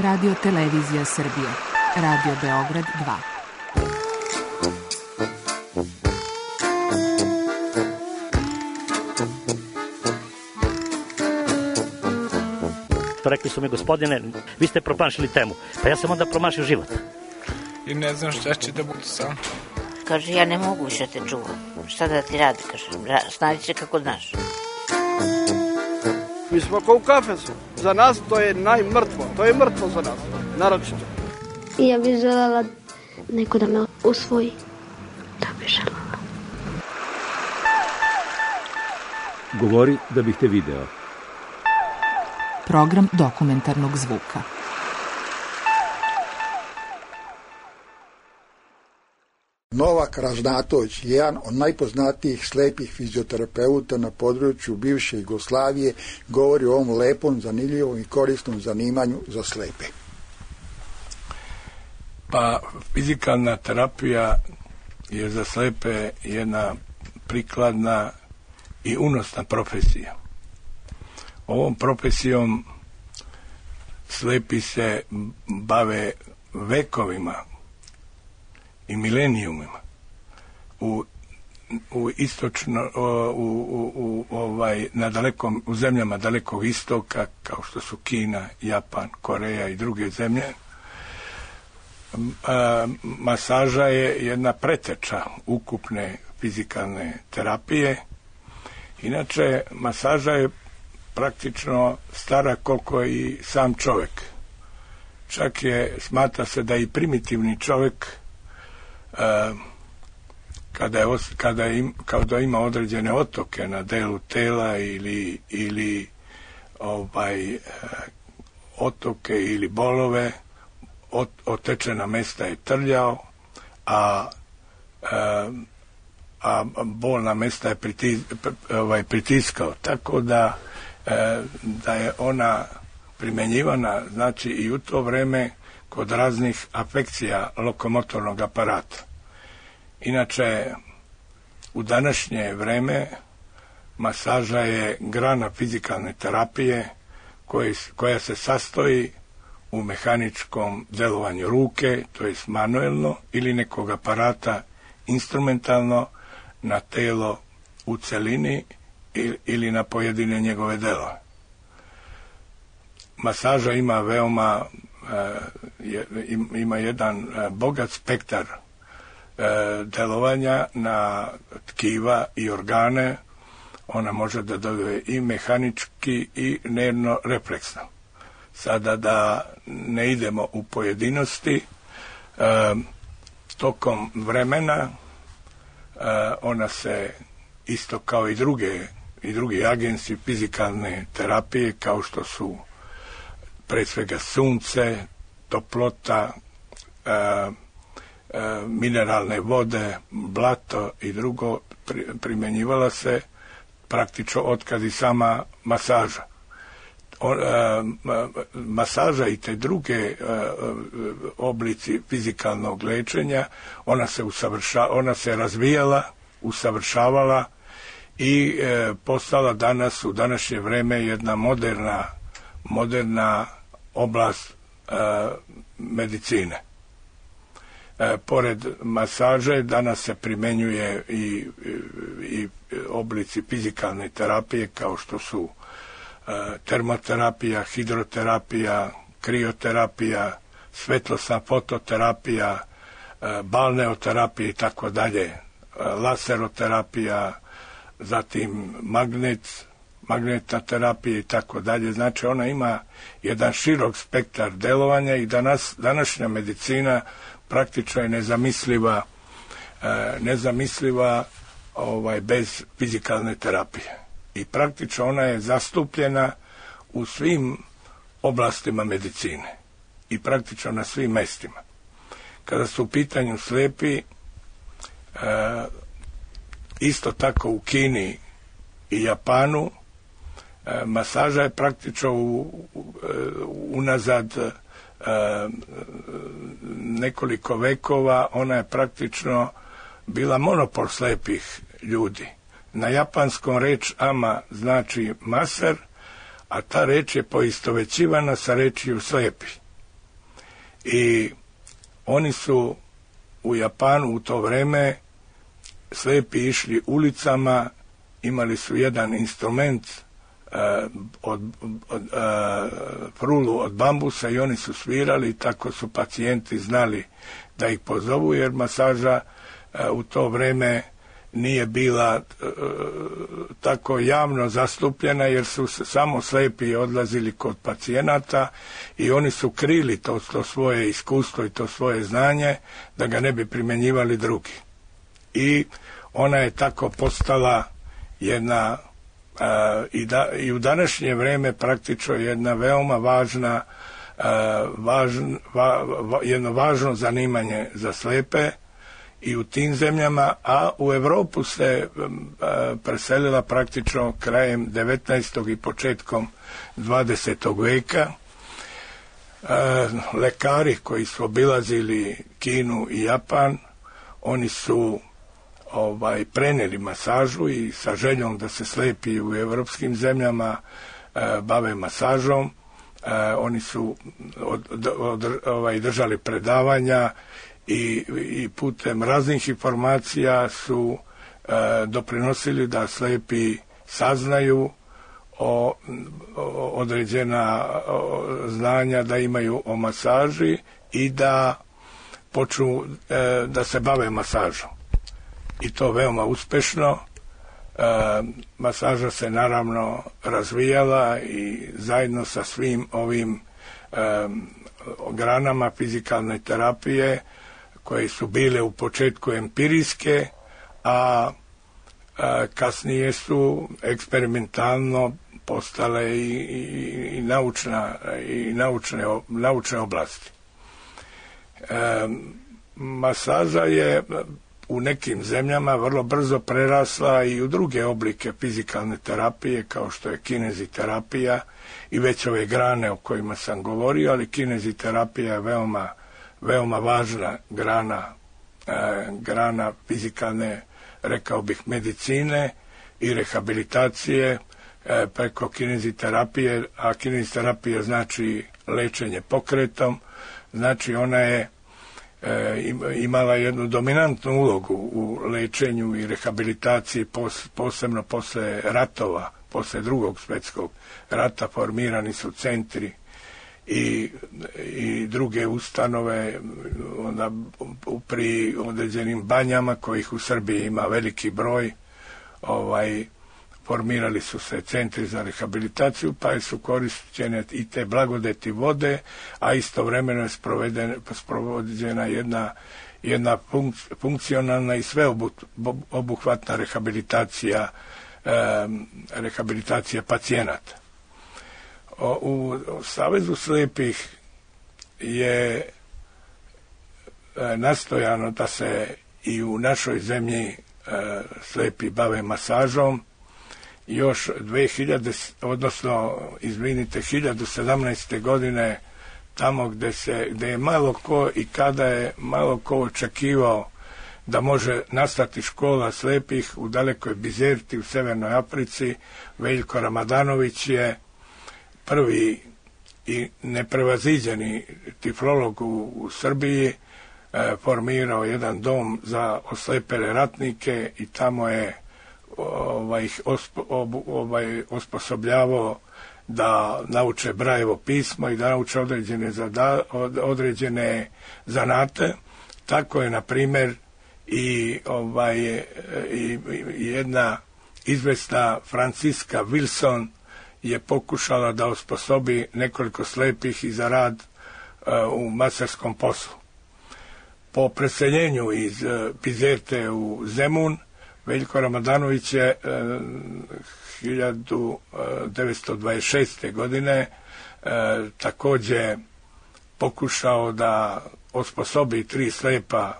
Radio Televizija Srbije. Radio Beograd 2. Rekli su mi, gospodine, vi ste promašili temu. Pa ja sam onda promašio život. I ne znam šta će da budu sam. Kaže, ja ne mogu više te čuvam. Šta da ti radi, kaže, snađi se kako znaš. Mi smo kao u kafesu. Za nas to je najmrtvo. To je mrtvo za nas, naročito. Ja bih želela neko da me usvoji. Da bih želela. Govori da bih te video. Program dokumentarnog zvuka. Novak Ražnatović, jedan od najpoznatijih slepih fizioterapeuta na području bivše Jugoslavije, govori o ovom lepom, zanimljivom i korisnom zanimanju za slepe. Pa, fizikalna terapija je za slepe jedna prikladna i unosna profesija. Ovom profesijom slepi se bave vekovima i milenijumima. U zemljama dalekog istoka, kao što su Kina, Japan, Koreja i druge zemlje, masaža je jedna preteča ukupne fizikalne terapije. Inače, masaža je praktično stara koliko i sam čovjek. Čak smatra se da i primitivni čovjek kada ima određene otoke na delu tela ili otoke ili bolove, otečena mesta je trljao, a bolna mesta je pritiskao. Tako da je ona primjenjivana, znači, i u to vreme kod raznih afekcija lokomotornog aparata. Inače, u današnje vreme masaža je grana fizikalne terapije koja se sastoji u mehaničkom delovanju ruke, to je manuelno, ili nekog aparata instrumentalno na telo u celini ili na pojedine njegove delove. Masaža ima jedan bogat spektar delovanja na tkiva i organe. Ona može da deluje i mehanički i nervno refleksno. Sada da ne idemo u pojedinosti, tokom vremena ona se isto kao i drugi agensi fizikalne terapije, kao što su pre svega sunce, toplota, mineralne vode, blato i drugo, primjenjivala se praktično otkad i sama masaža. Masaža i te druge oblici fizikalnog lečenja, ona se razvijala, usavršavala i postala danas, u današnje vreme, jedna moderna oblast medicine. Pored masaže danas se primenjuje i oblici fizikalne terapije, kao što su termoterapija, hidroterapija, krioterapija, svetlosna fototerapija, balneoterapija i tako dalje, laseroterapija, zatim magnetna terapija i tako dalje. Znači, ona ima jedan širok spektar delovanja i današnja medicina praktično je nezamisliva bez fizikalne terapije. I praktično ona je zastupljena u svim oblastima medicine i praktično na svim mestima. Kada su u pitanju slepi, isto tako u Kini i Japanu, masaža je praktično unazad nekoliko vekova, ona je praktično bila monopol slepih ljudi. Na japanskom reč ama znači maser, a ta reč je poistovećivana sa rečju slepi. I oni su u Japanu u to vreme slepi išli ulicama, imali su jedan instrument frulu od bambusa i oni su svirali, tako su pacijenti znali da ih pozovu, jer masaža u to vreme nije bila tako javno zastupljena, jer su samo slepi odlazili kod pacijenata i oni su krili to svoje iskustvo i to svoje znanje da ga ne bi primjenjivali drugi. I ona je tako postala jedna i u današnje vrijeme praktično jedna veoma važna jedno važno zanimanje za slepe i u tim zemljama, a u Europu se preselila praktično krajem 19. i početkom 20. veka. Lekari koji su obilazili Kinu i Japan, oni su prenijeli masažu i sa željom da se slepi u europskim zemljama bave masažom. Oni su držali predavanja i putem raznih informacija su doprinosili da slepi saznaju određena znanja da imaju o masaži i da počnu da se bave masažom. I to veoma uspešno. Masaža se naravno razvijala i zajedno sa svim ovim granama fizikalne terapije koje su bile u početku empirijske, a kasnije su eksperimentalno postale i naučne oblasti. Masaža je u nekim zemljama vrlo brzo prerasla i u druge oblike fizikalne terapije, kao što je kineziterapija i već ove grane o kojima sam govorio, ali kineziterapija je veoma važna grana fizikalne, rekao bih, medicine i rehabilitacije preko kineziterapije, a kineziterapija znači lečenje pokretom, znači ona je imala jednu dominantnu ulogu u lečenju i rehabilitaciji, posebno posle ratova, posle Drugog svjetskog rata formirani su centri i druge ustanove onda pri određenim banjama, kojih u Srbiji ima veliki broj. Formirali su se centri za rehabilitaciju, pa su korišćene i te blagodeti vode, a istovremeno je sprovođena jedna funkcionalna i sveobuhvatna rehabilitacija pacijenata. U Savezu slepih je nastojano da se i u našoj zemlji slepi bave masažom. Još 1017. godine, tamo gde je malo ko i kada je malo ko očekivao da može nastati škola slepih u dalekoj Bizerti u Severnoj Africi, Veljko Ramadanović je prvi i neprevaziđeni tiflolog u Srbiji formirao jedan dom za oslepele ratnike i tamo je ih osposobljavao da nauče Brajevo pismo i da nauče određene zanate. Tako je, na primjer, i jedna izvesna Franciska Wilson je pokušala da osposobi nekoliko slepih i za rad u masarskom poslu. Po preseljenju iz Bizerte u Zemun, Veljko Ramadanović je 1926. godine također pokušao da osposobi 3 slepa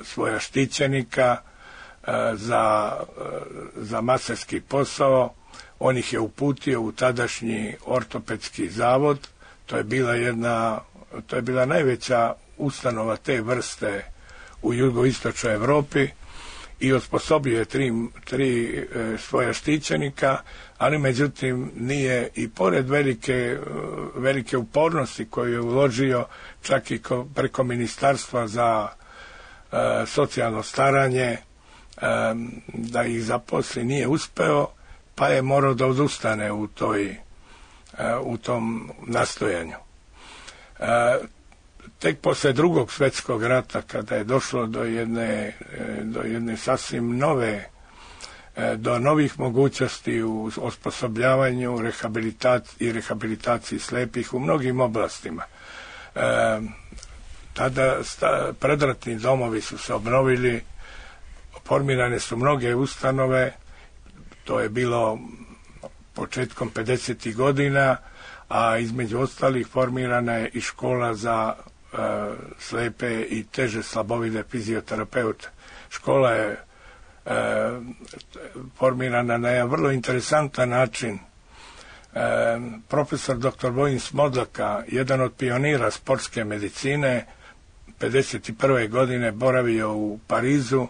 svoja štićenika za masarski posao. On ih je uputio u tadašnji ortopedski zavod. To je bila najveća ustanova te vrste u jugoistočnoj Evropi i osposobio je tri svoja štićenika, ali međutim nije, i pored velike upornosti koju je uložio čak i preko Ministarstva za socijalno staranje da ih zaposli, nije uspeo, pa je morao da odustane u tom nastojanju. Tek posle Drugog svjetskog rata, kada je došlo do jedne sasvim do novih mogućnosti u osposobljavanju i rehabilitaciji slepih u mnogim oblastima. Tada predratni domovi su se obnovili, formirane su mnoge ustanove, to je bilo početkom 50. godina, a između ostalih formirana je i škola za slepe i teže slabovide fizioterapeute. Škola je formirana na jedan vrlo interesantan način. Profesor dr. Vojin Smodlaka, jedan od pionira sportske medicine, 51. godine boravio u Parizu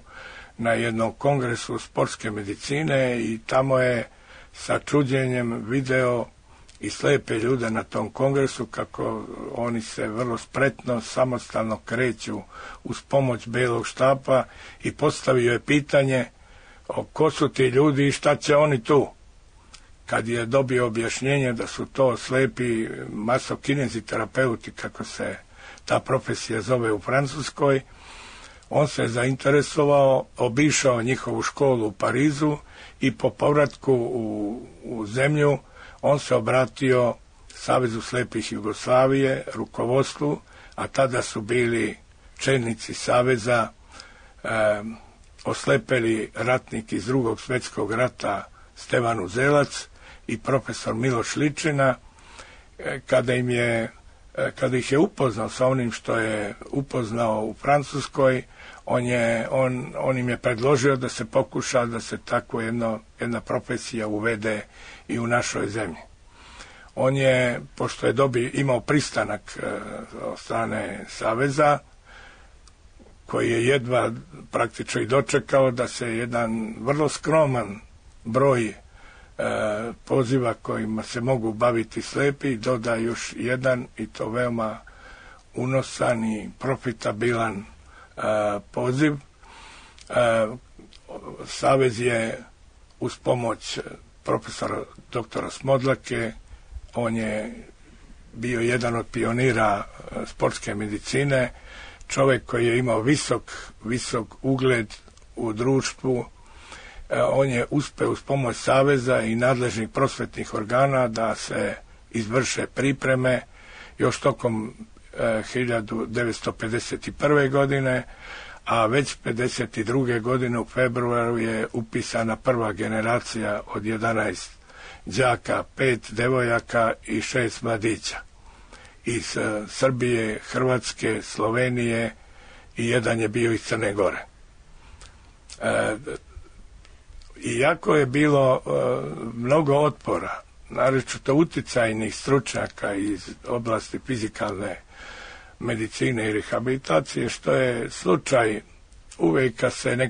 na jednom kongresu sportske medicine i tamo je sa čuđenjem video i slepe ljude na tom kongresu kako oni se vrlo spretno, samostalno kreću uz pomoć belog štapa i postavio je pitanje ko su ti ljudi i šta će oni tu. Kad je dobio objašnjenje da su to slepi masokineziterapeuti, kako se ta profesija zove u Francuskoj, on se zainteresovao, obišao njihovu školu u Parizu i po povratku u zemlju on se obratio Savezu slepih Jugoslavije, rukovodstvu, a tada su bili čelnici Saveza, oslepeli ratnik iz Drugog svjetskog rata Stevan Uzelac i profesor Miloš Ličina. Kada ih je upoznao sa onim što je upoznao u Francuskoj, on im je predložio da se pokuša da se tako jedna profesija uvede i u našoj zemlji. On je, pošto je imao pristanak od strane Saveza, koji je jedva praktično i dočekao da se jedan vrlo skroman broj poziva kojima se mogu baviti slepi doda još jedan, i to veoma unosan i profitabilan poziv. Savez je uz pomoć profesora doktora Smodlake, on je bio jedan od pionira sportske medicine, čovjek koji je imao visok ugled u društvu. On je uspeo uz pomoć Saveza i nadležnih prosvetnih organa da se izvrše pripreme još tokom 1951. godine, a već 1952. godine u februaru je upisana prva generacija od 11 đaka, 5 devojaka i 6 mladića iz Srbije, Hrvatske, Slovenije i jedan je bio iz Crne Gore. Iako je bilo mnogo otpora, naročito uticajnih stručnjaka iz oblasti fizikalne medicine i rehabilitacije, što je slučaj uvijek kad se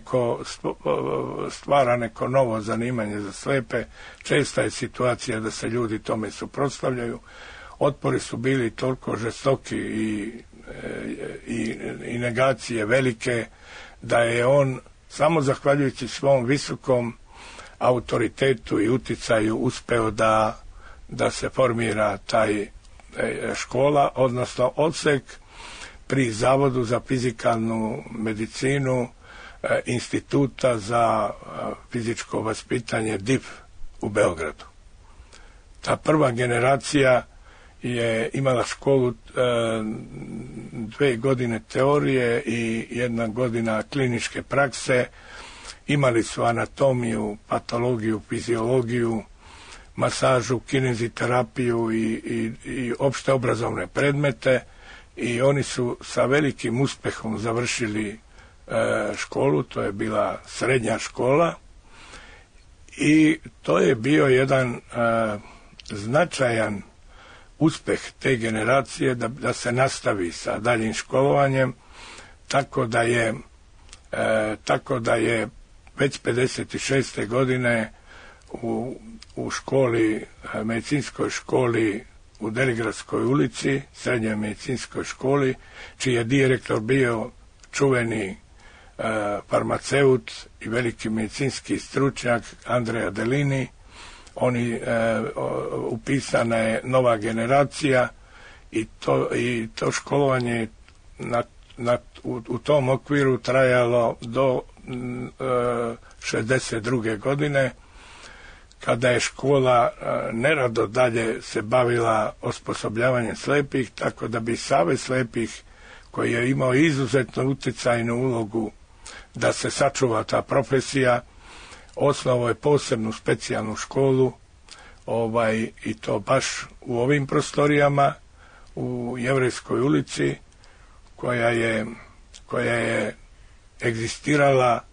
stvara neko novo zanimanje za slepe, česta je situacija da se ljudi tome suprotstavljaju. Otpori su bili toliko žestoki i negacije velike da je on samo zahvaljujući svom visokom autoritetu i uticaju uspeo da se formira taj škola, odnosno odsek pri Zavodu za fizikalnu medicinu Instituta za fizičko vaspitanje DIF u Beogradu. Ta prva generacija je imala školu 2 godine teorije i 1 godina kliničke prakse. Imali su anatomiju, patologiju, fiziologiju, masažu, kineziterapiju i opšte obrazovne predmete, i oni su sa velikim uspehom završili školu. To je bila srednja škola i to je bio jedan značajan uspeh te generacije da se nastavi sa daljim školovanjem, tako da je već 56. godine u školi, medicinskoj školi u Deligradskoj ulici, srednjoj medicinskoj školi, čiji je direktor bio čuveni farmaceut i veliki medicinski stručnjak Andrea Delini. Upisana je nova generacija i to školovanje u tom okviru trajalo do 62. godine, kada je škola nerado dalje se bavila osposobljavanjem slepih, tako da bi Savez slepih, koji je imao izuzetno utjecajnu ulogu da se sačuva ta profesija, osnovao je posebnu specijalnu školu, i to baš u ovim prostorijama u Jevrejskoj ulici, koja je egzistirala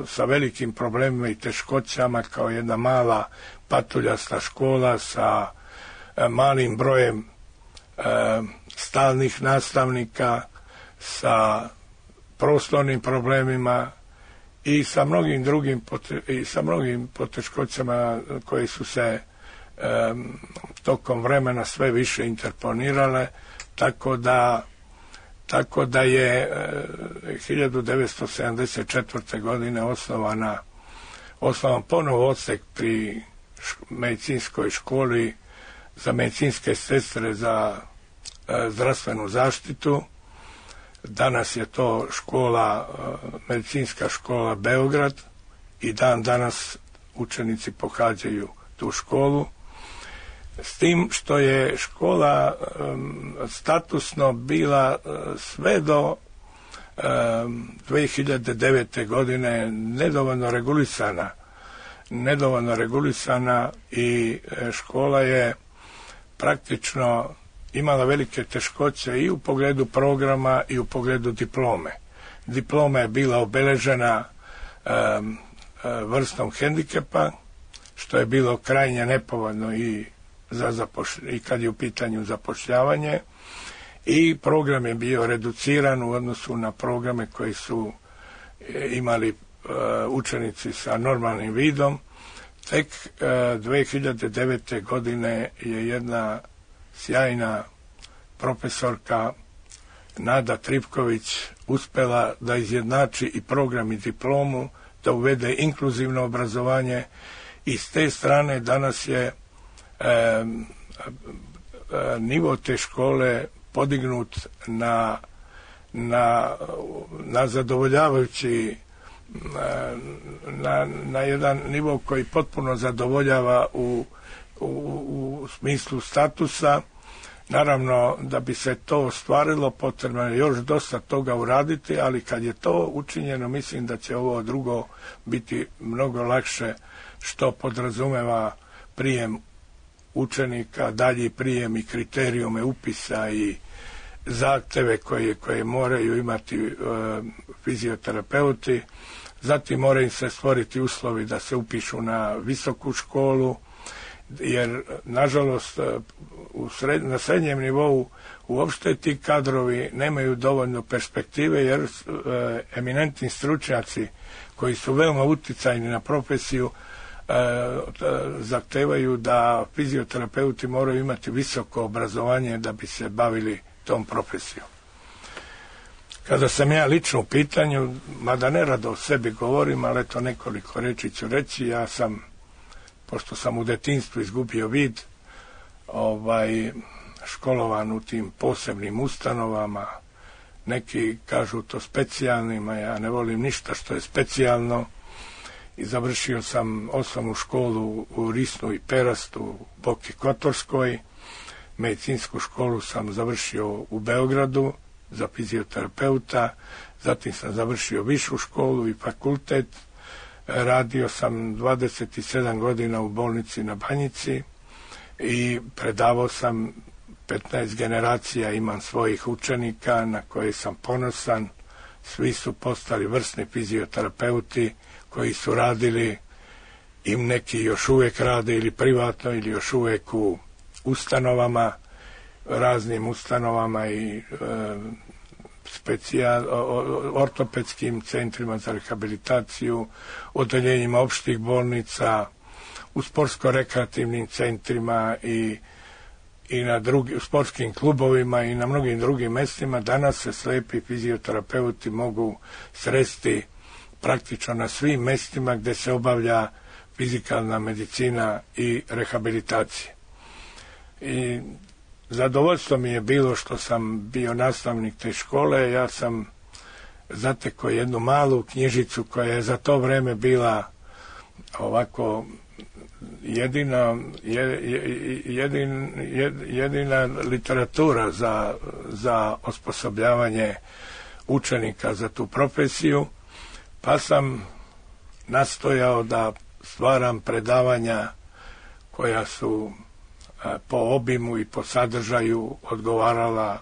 sa velikim problemima i teškoćama kao jedna mala patuljasta škola sa malim brojem stalnih nastavnika, sa prostornim problemima i sa mnogim drugim poteškoćama koje su se tokom vremena sve više interponirale, tako da je 1974. godine osnovan ponovo odsek pri medicinskoj školi za medicinske sestre za zdravstvenu zaštitu. Danas je to medicinska škola Beograd i dan danas učenici pohađaju tu školu. S tim što je škola statusno bila sve do 2009. godine nedovoljno regulisana i škola je praktično imala velike teškoće i u pogledu programa i u pogledu diplome. Diploma je bila obeležena vrstom hendikepa, što je bilo krajnje nepovoljno i kad je u pitanju zapošljavanje, i program je bio reduciran u odnosu na programe koji su imali učenici sa normalnim vidom. Tek 2009. godine je jedna sjajna profesorka Nada Tripković uspela da izjednači i program i diplomu, da uvede inkluzivno obrazovanje, i s te strane danas je nivo te škole podignut na zadovoljavajući, na jedan nivo koji potpuno zadovoljava u smislu statusa. Naravno, da bi se to ostvarilo, potrebno je još dosta toga uraditi, ali kad je to učinjeno, mislim da će ovo drugo biti mnogo lakše, što podrazumeva prijem učenika, dalji prijem i kriterijume upisa i zahteve koje moraju imati fizioterapeuti. Zatim moraju se stvoriti uslovi da se upišu na visoku školu, jer nažalost na srednjem nivou uopšte ti kadrovi nemaju dovoljno perspektive, jer eminentni stručnjaci koji su veoma utjecajni na profesiju zahtevaju da fizioterapeuti moraju imati visoko obrazovanje da bi se bavili tom profesijom. Kada sam ja lično u pitanju, mada nerado o sebi govorim, ali eto nekoliko reči ću reći, ja sam, pošto sam u detinjstvu izgubio vid, školovan u tim posebnim ustanovama, neki kažu to specijalnim, a ja ne volim ništa što je specijalno, i završio sam osnovnu školu u Risnu i Perastu, u Boki Kotorskoj. Medicinsku školu sam završio u Beogradu za fizioterapeuta, zatim sam završio višu školu i fakultet. Radio sam 27 godina u bolnici na Banjici i predavao sam 15 generacija, imam svojih učenika na koje sam ponosan. Svi su postali vrsni fizioterapeuti koji su radili, i neki još uvijek rade ili privatno ili još uvijek u ustanovama, raznim ustanovama i ortopedskim centrima za rehabilitaciju, odeljenjima opštih bolnica, u sportsko-rekreativnim centrima i na sportskim klubovima i na mnogim drugim mestima. Danas se slepi fizioterapeuti mogu sresti praktično na svim mestima gde se obavlja fizikalna medicina i rehabilitacija. I zadovoljstvo mi je bilo što sam bio nastavnik te škole. Ja sam zatekao jednu malu knjižicu koja je za to vreme bila ovako jedina literatura za osposobljavanje učenika za tu profesiju, pa sam nastojao da stvaram predavanja koja su po obimu i po sadržaju odgovarala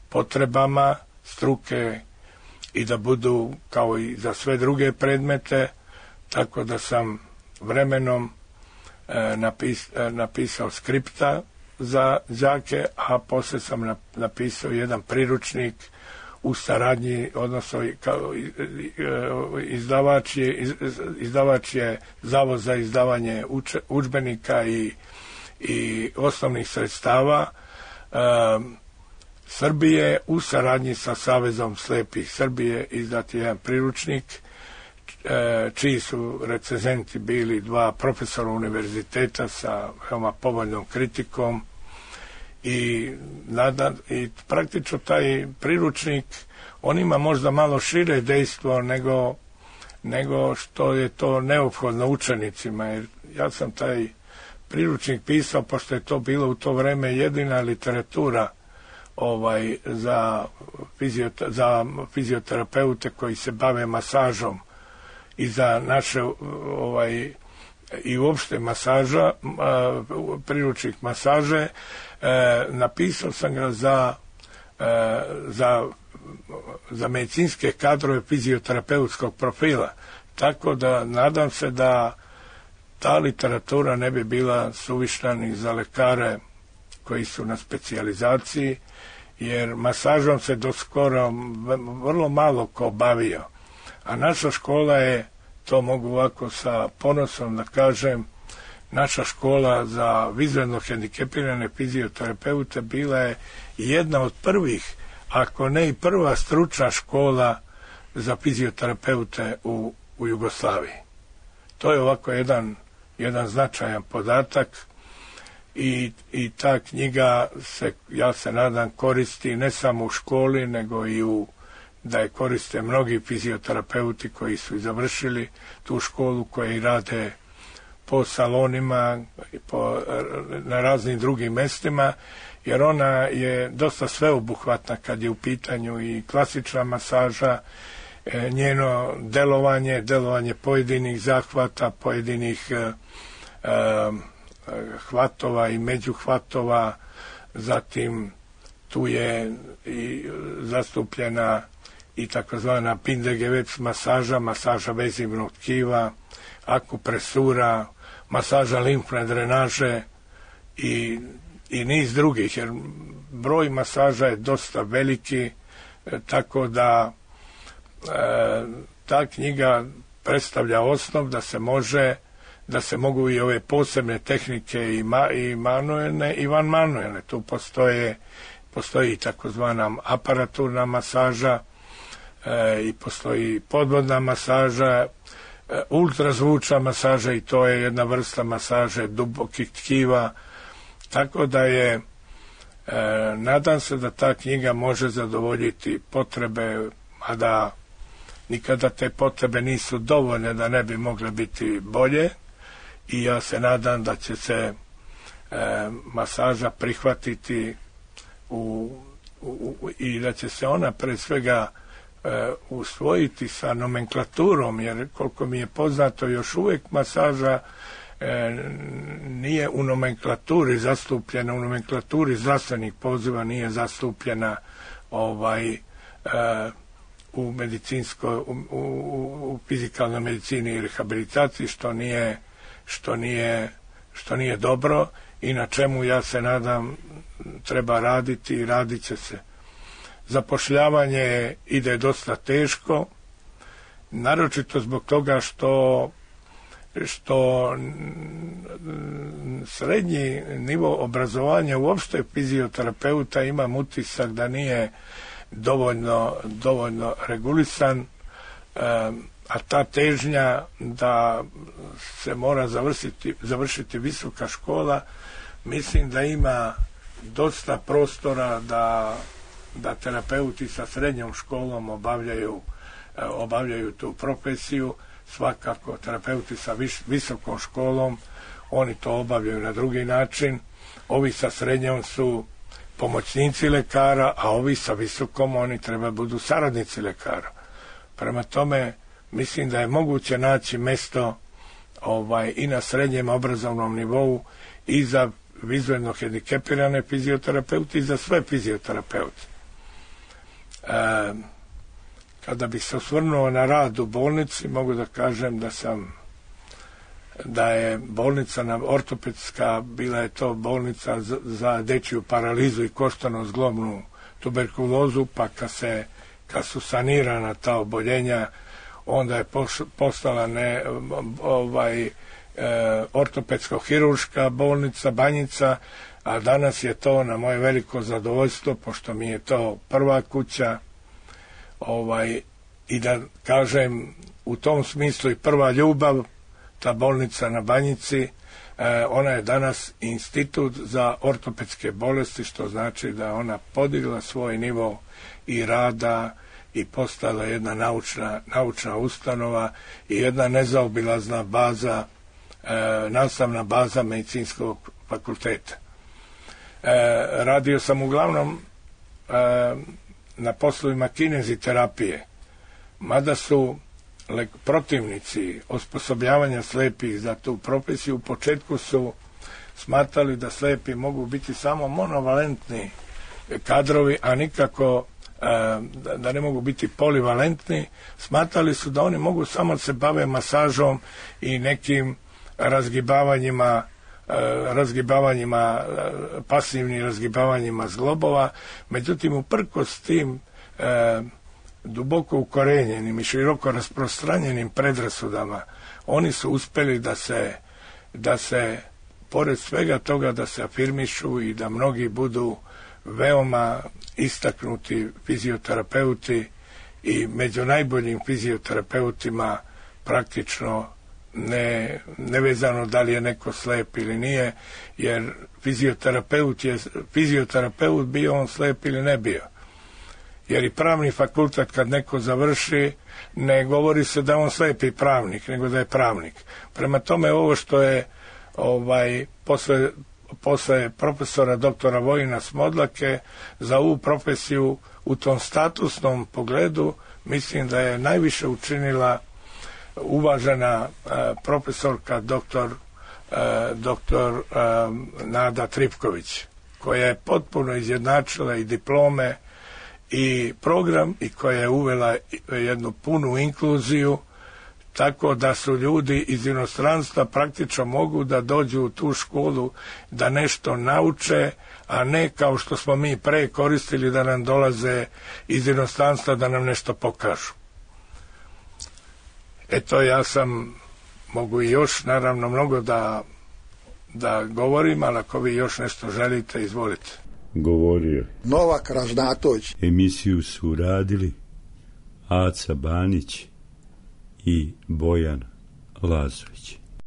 potrebama struke i da budu kao i za sve druge predmete, tako da sam vremenom napisao skripta za đake, a posle sam napisao jedan priručnik u saradnji, odnosno izdavač je Zavod za izdavanje udžbenika i osnovnih sredstava Srbije u saradnji sa Savezom slepih Srbije izdat je jedan priručnik čiji su recenzenti bili dva profesora univerziteta sa veoma povoljnom kritikom i praktično taj priručnik on ima možda malo šire dejstvo nego što je to neophodno učenicima, jer ja sam taj priručnik pisao pošto je to bilo u to vreme jedina literatura za fizioterapeute koji se bave masažom i za naše i uopšte masaža, priručnik masaže. Napisao sam ga za medicinske kadrove fizioterapeutskog profila, tako da nadam se da ta literatura ne bi bila suvišna ni za lekare koji su na specijalizaciji, jer masažom se do skoro vrlo malo ko bavio. A naša škola je, to mogu ovako sa ponosom da kažem, naša škola za vizuelno hendikepirane fizioterapeute bila je jedna od prvih, ako ne i prva stručna škola za fizioterapeute u Jugoslaviji. To je ovako jedan značajan podatak i ta knjiga se, ja se nadam, koristi ne samo u školi, nego i da je koriste mnogi fizioterapeuti koji su završili tu školu, koji rade po salonima, na raznim drugim mestima, jer ona je dosta sveobuhvatna kad je u pitanju i klasična masaža, njeno delovanje pojedinih zahvata, pojedinih hvatova i međuhvatova, zatim tu je i zastupljena i takozvana Pindegeveps masaža vezivnog tkiva, akupresura, masaža limfne drenaže i niz drugih, jer broj masaža je dosta veliki, tako da ta knjiga predstavlja osnov da se mogu i ove posebne tehnike i manuelne i vanmanuelne. Tu postoji takozvana aparaturna masaža i postoji podvodna masaža, ultrazvučna masaža, i to je jedna vrsta masaže dubokih tkiva, tako da je nadam se da ta knjiga može zadovoljiti potrebe, a da nikada te potrebe nisu dovoljne da ne bi mogle biti bolje, i ja se nadam da će se masaža prihvatiti i da će se ona pre svega usvojiti sa nomenklaturom, jer koliko mi je poznato još uvijek masaža nije u nomenklaturi zastupljena, u nomenklaturi zdravstvenih poziva nije zastupljena u fizikalnoj medicini i rehabilitaciji, što nije dobro i na čemu, ja se nadam, treba raditi i radit će se. zapošljavanje ide dosta teško, naročito zbog toga što srednji nivo obrazovanja uopšte fizioterapeuta imam utisak da nije dovoljno regulisan, a ta težnja da se mora završiti visoka škola, mislim da ima dosta prostora da terapeuti sa srednjom školom obavljaju tu profesiju. Svakako terapeuti sa visokom školom, oni to obavljaju na drugi način. Ovi sa srednjom su pomoćnici lekara, a ovi sa visokom, oni treba budu saradnici lekara. Prema tome, mislim da je moguće naći mesto i na srednjem obrazovnom nivou i za vizuelno hendikepirane fizioterapeuti i za sve fizioterapeute. Kada bih se osvrnuo na rad u bolnici, mogu da kažem da je bolnica ortopedska, bila je to bolnica za dečju paralizu i koštano-zglobnu tuberkulozu, pa kad su sanirana ta oboljenja, onda je postala ortopedsko-hirurška bolnica Banjica, a danas je to na moje veliko zadovoljstvo, pošto mi je to prva kuća, i da kažem u tom smislu i prva ljubav, ta bolnica na Banjici, ona je danas institut za ortopedske bolesti, što znači da ona podigla svoj nivo i rada i postala jedna naučna ustanova i jedna nezaobilazna baza, nastavna baza medicinskog fakulteta. Radio sam uglavnom na poslovima kineziterapije, mada su protivnici osposobljavanja slepih za tu profesiju u početku su smatrali da slepi mogu biti samo monovalentni kadrovi, a nikako da ne mogu biti polivalentni. Smatrali su da oni mogu samo se bave masažom i nekim pasivnim razgibavanjima zglobova. Međutim, uprkos tim duboko ukorenjenim i široko rasprostranjenim predrasudama, oni su uspjeli da se pored svega toga da se afirmišu i da mnogi budu veoma istaknuti fizioterapeuti i među najboljim fizioterapeutima praktično nevezano da li je neko slep ili nije, jer fizioterapeut bio on slep ili ne bio. Jer i pravni fakultet kad neko završi, ne govori se da on slepi pravnik, nego da je pravnik. Prema tome, ovo što je posle profesora doktora Vojina Smodlake za ovu profesiju u tom statusnom pogledu, mislim da je najviše učinila uvažena profesorka doktor Nada Tripković, koja je potpuno izjednačila i diplome i program i koja je uvela jednu punu inkluziju, tako da su ljudi iz inostranstva praktično mogu da dođu u tu školu da nešto nauče, a ne kao što smo mi pre koristili da nam dolaze iz inostranstva da nam nešto pokažu. Eto, ja mogu i još naravno mnogo da govorim, ali ako vi još nešto želite, izvolite. Govorio Novak Ražnatović. Emisiju su radili Aca Banić i Bojan Lazović.